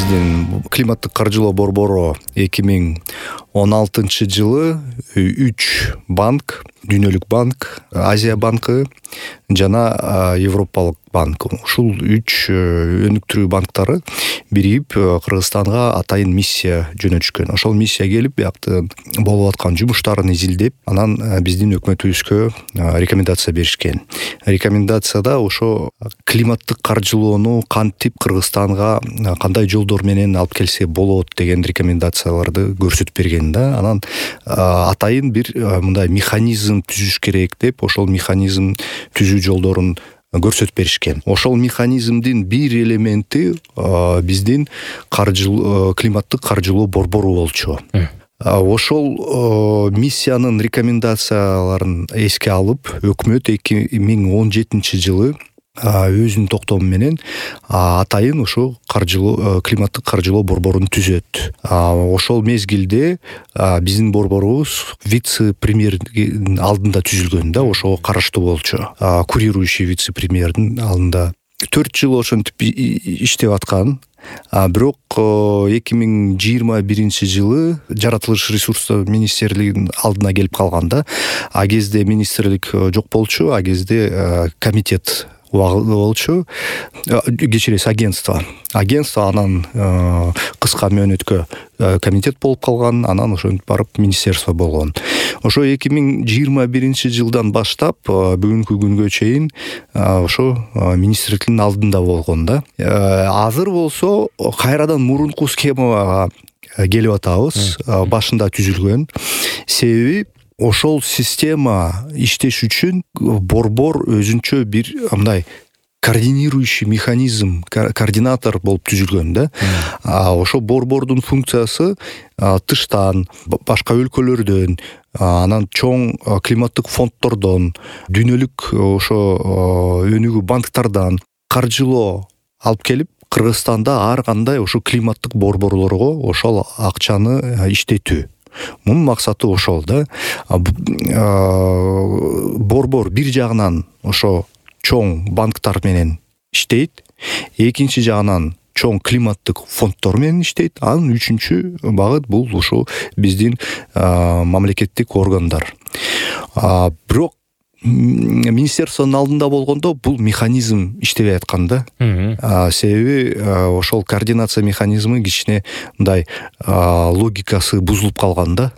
биздин климаттык каржылоо борбору 2016 жылы 3 банк, Дүйнөлүк банк, Азия банкы жана Европалык банк, ушул 3 өнүктүрүү банктары биригип Кыргызстанга атайын миссия жөнөтүшкөн. Ошол миссия келип, биякта болуп аткан жумуштарын изилдеп, анан биздин өкмөтүбүзгө рекомендация беришкен. Рекомендацияда ошо климаттык каржылоону кантип Кыргызстанга кандай жолдор менен алып келсе болот деген рекомендацияларды көрсөтүп берген да. Анан атайын бир мындай механизм түзүш керек деп, ошол механизм түзүү жолдорун көрсөтүп беришкен. Ошол механизмдин бир элементи биздин климаттык каржылоо борбору болчу. Ошол миссиянын рекомендацияларын эске алып, өкмөт 2017 жылы өзүнүн токтому менен атайын ошо климаттык каржылоо борборун түзөт. Ошол мезгилде биздин борборубуз вице-премьердин алдында түзүлгөн да, ошого караштуу болчу. Курирующий вице-премьердин алдында 4 жыл ошентип иштеп аткан. Бирок 2021 жылы жаратылыш ресурстар министрлигинин алдына келип калганда, а кезде министрлик жок болчу, а кезде комитет болчу, кечиресиз, агентство анан кыска мөөнөткө комитет болуп калган, анан ошентип барып министерство болгон. Ошо 2021 жылдан баштап бүгүнкү күнгө чейин ошо министрликтин алдында болгон да. Азыр болсо кайрадан мурунку схемага келип атабыз. Башында түзүлгөн. Себеби ошол система иштеш үчүн борбор өзүнчө бир мындай координирующий механизм, координатор болуп түзүлгөн да. Ошо борбордун функциясы тыштан, башка өлкөлөрдөн, анан чоң климаттык фонддордон, дүйнөлүк ошо өнүгүү банктардан каржылоо алып келип, Кыргызстанда ар кандай ошо климаттык борборлорго ошол акчаны иштетүү. Мунун максаты ошол да. Борбор бир жагынан ошо чоң банктар менен иштейт, экинчи жагынан чоң климаттык фонддор менен иштейт, анан үчүнчү багыт бул ошо биздин мамлекеттик органдар. Бирок министерствонун алдында болгондо бул механизм иштебей аткан да. Себеби ошол координация механизми кичине мындай логикасы бузулуп калган да.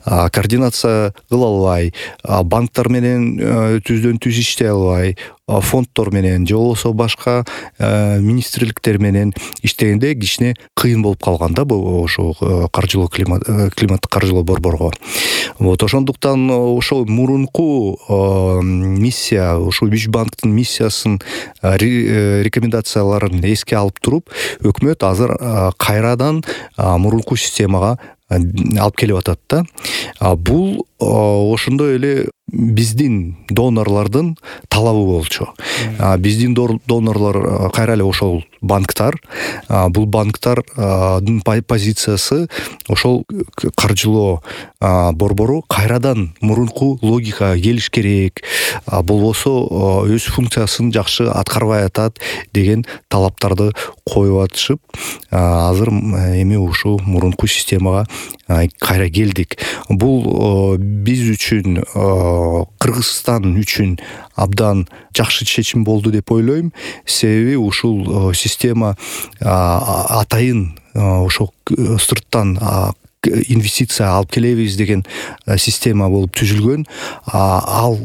Координация кыла албай, банктар менен түздөн түз иштей албай, фонддор менен же болбосо башка министрликтер менен иштегенде кичине кыйын болуп калган да ошо климаттык каржылоо борборго. Ошондуктан ошол мурунку миссия, ошо 3 банктын миссиясын рекомендацияларын эске алып туруп, өкмөт азыр кайрадан мурунку системага алып келип атат да. Бул ошондой эле биздин донорлордун талабы болчу. Биздин донорлор кайра эле ошол банктар. Бул банктардын позициясы ошол каржылоо борбору кайрадан мурунку логикага келиш керек, болбосо өз функциясын жакшы аткарбай атат деген талаптарды коюп атышып, азыр эми ушул мурунку системага кайра келдик. Бул биз үчүн, Кыргызстан үчүн абдан жакшы чечим болду деп ойлойм. Себеби ушул система атайын ошо сырттан инвестиция алып келебиз деген система болуп түзүлгөн. Ал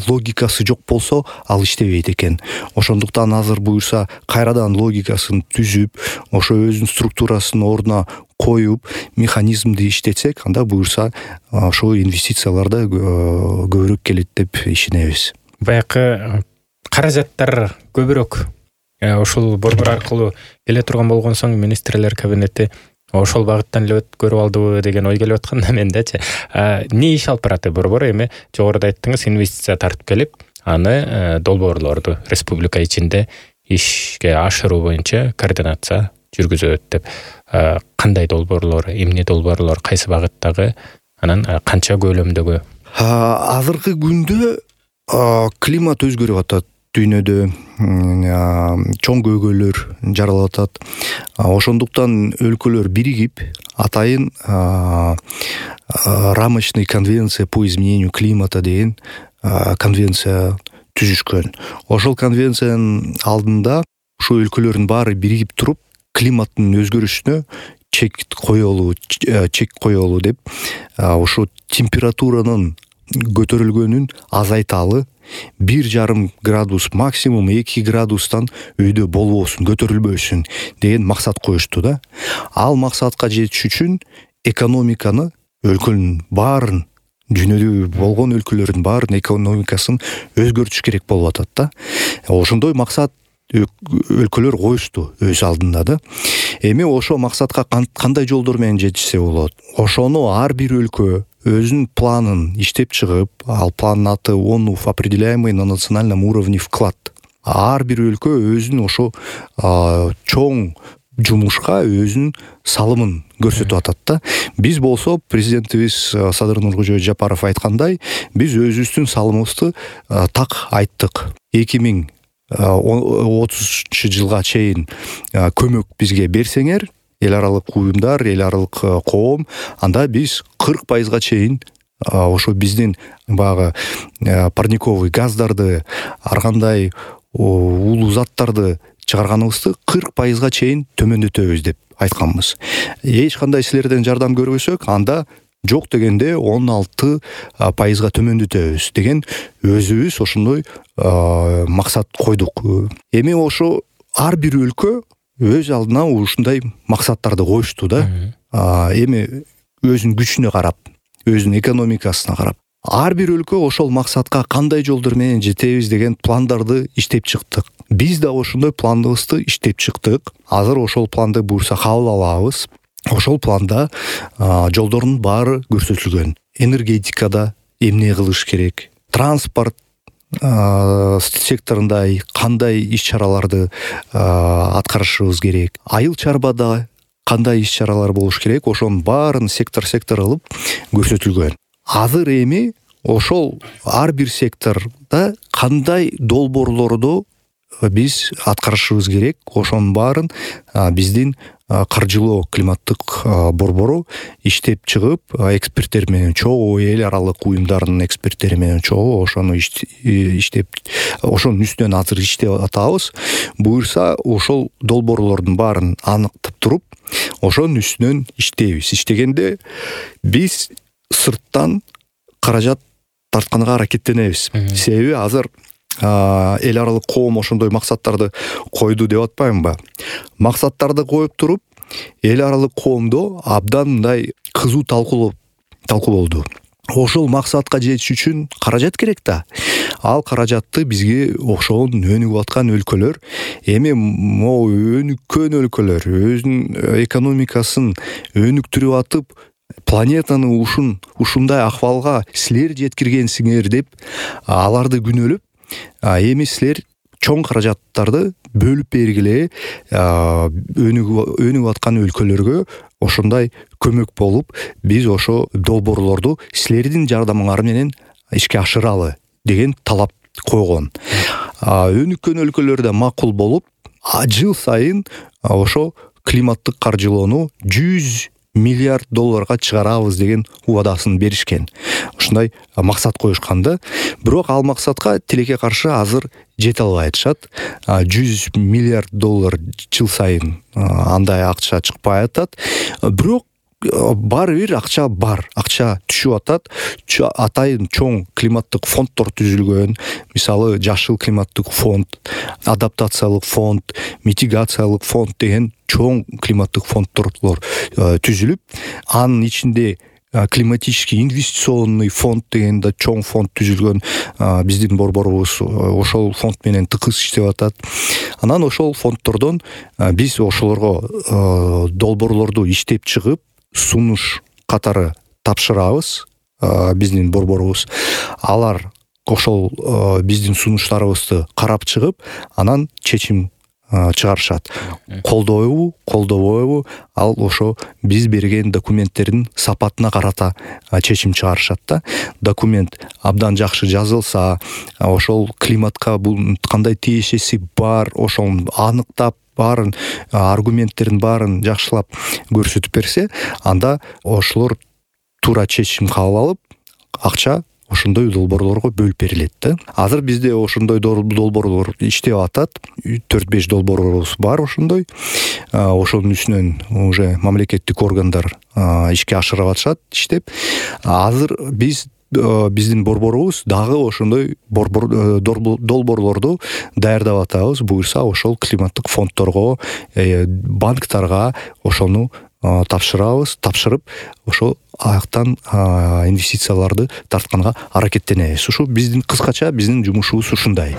логикасы жок болсо, ал иштебейт экен. Ошондуктан азыр буюрса кайрадан логикасын түзүп, ошо өзүнүн структурасын ордуна коюп, механизмди иштетсек, анда буюрса ошо инвестициялар да көбүрөөк келет деп ишенебиз. Баягы каражаттар көбүрөөк ушул борбор аркылуу келе турган болгон соң министрлер кабинети ошол багыттан эле көрүп алдыбы деген ой келип атканда мендечи. Эмне иш алып барат борбор? Эми жогоруда айттыңыз, инвестиция тартып келип, аны долбоорлорду республика ичинде ишке ашыруу боюнча координация жүргүзөт деп. Кандай долбоорлор, эмне долбоорлор, кайсы багыттагы, анан канча көлөмдөгү? Азыркы күндө климат өзгөрүп атат. дүйнөдө чоң көйгөйлөр жаралып атат. Ошондуктан өлкөлөр биригип атайын рамочный конвенция по изменению климата деген конвенция түзүшкөн. Ошол конвенциянын алдында ушул өлкөлөрдүн баары биригип туруп климаттын өзгөрүшүнө чек коелу деп ошо температуранын көтөрүлгөнүн азайталы, 1,5 градус максимум 2 градустан үйдө болбосун, көтөрүлбөсүн деген максат коюшту да. Ал максатка жетиш үчүн экономиканы өлкөнүн баарын, дүйнөдө болгон өлкөлөрдүн баарын экономикасын өзгөртүш керек болуп атат да. Ошондой максат өлкөлөр коюшту өз алдында да. Эми ошол максатка кандай жолдор менен жетишсе болот? Ошону ар бир өлкө өзүнүн планын иштеп чыгып, ал пландын аты ООН определяемый на национальном уровне вклад. Ар бир өлкө өзүнүн ошо чоң жумушка өзүнүн салымын көрсөтүп атат да. Биз болсо президентибиз Садыр Нуркожоевич Жапаров айткандай, биз өзүбүздүн салымыбызды так айттык. 2030 жылга чейин көмөк бизге берсеңер, эл аралык уюмдар, эл аралык коом, анда биз 40% чейин ошо биздин баягы парниковый газдарды, ар кандай улуу заттарды чыгарганыбызды 40% чейин төмөндөтөбүз деп айтканбыз. Эч кандай силерден жардам көрбөсөк, анда жок дегенде 16% төмөндөтөбүз деген өзүбүз ошондой максат койдук. Эми ошо ар бир өлкө өз алдына ушундай максаттарды коюшту да. Эми өзүнүн күчүнө карап, өзүнүн экономикасына карап, ар бир өлкө ошол максатка кандай жолдор менен жетебиз деген пландарды иштеп чыктык. Биз да ошондой планыбызды иштеп чыктык. Азыр ошол планды буюрса кабыл алабыз. Ошол планда жолдордун баары көрсөтүлгөн. Энергетикада эмне кылыш керек, транспорт секторунда кандай иш-чараларды аткарышыбыз керек, айыл чарбада кандай иш-чаралар болуш керек, ошонун баарын сектор кылып көрсөтүлгөн. Азыр эми ошол ар бир секторда кандай долбоорлорду биз аткарышыбыз керек, ошонун баарын биздин каржылоо климаттык борбору иштеп чыгып, эксперттер менен чогуу, эл аралык уюмдардын эксперттери менен чогуу ошону иштеп, ошонун үстүнөн азыр иштеп атабыз. Буюрса ошол долбоорлордун баарын аныктап туруп, ошонун үстүнөн иштейбиз. Иштегенде биз сырттан каражат тартканга аракеттенебиз. Себеби азыр эл аралык коом ошондой максаттарды койду деп атпаймынбы? Максаттарды коюп туруп, эл аралык коомдо абдан мындай кызуу талкуу болду. Ошол максатка жетиш үчүн каражат керек да. Ал каражатты бизге окшогон өнүгүп аткан өлкөлөр, эми могу өнүккөн өлкөлөр өзүнүн экономикасын өнүктүрүп атып, планетаны ушундай акыбалга силер жеткиргенсиңер деп аларды күнөөлөп, эми силер чоң каражаттарды бөлүп бергиле, өнүгүп аткан өлкөлөргө ошондой көмөк болуп, биз ошо долбоорлорду силердин жардамыңар менен ишке ашыралы деген талап койгон. Өнүккөн өлкөлөрдө макул болуп, жыл сайын ошо климаттык каржылоону 100 миллиард долларга чыгарабыз деген убадасын беришкен. Ушундай максат коюшканда, бирок ал максатка тилекке каршы азыр жете албай атышат. 100 миллиард доллар жыл сайын андай акча чыкпай атат. Бирок баары бир акча бар, акча түшүп атат. Атайын чоң климаттык фонддор түзүлгөн. Мисалы, жашыл климаттык фонд, адаптациялык фонд, митигациялык фонд деген чоң климаттык фонддор түзүлүп, анын ичинде климатический инвестиционный фонд деген да чоң фонд түзүлгөн. Биздин борборубуз ошол фонд менен тыкыз иштеп атат. Анан ошол фонддордон биз ошолорго долбоорлорду иштеп чыгып, сунуш катары тапшырабыз. Биздин борборубуз алар ошол биздин сунуштарыбызды карап чыгып, анан чечим чыгарышат. Колдобойбу, ал ошо биз берген документтердин сапатына карата чечим чыгарышат да. Документ абдан жакшы жазылса, ошол климатка бул кандай тиешеси бар, ошол аныктап баарын аргументтерин баарын жакшылап көрсөтүп берсе, анда ошолор туура чечим кабыл алып, акча ошондой долбоорлорго бөлүп берилет да. Азыр бизде ошондой долбоорлор иштеп атат. 4-5 долбоорубуз бар ошондой. Ошонун үстүнөн уже мамлекеттик органдар ишке ашырып атышат иштеп. Азыр биздин борборубуз дагы ошондой долбоорлорду даярдап атабыз. Буюрса ошол климаттык фонддорго, банктарга ошону тапшырып, ошо аяктан инвестицияларды тартканга аракеттенебиз. Ушу биздин кыскача биздин жумушубуз ушундай.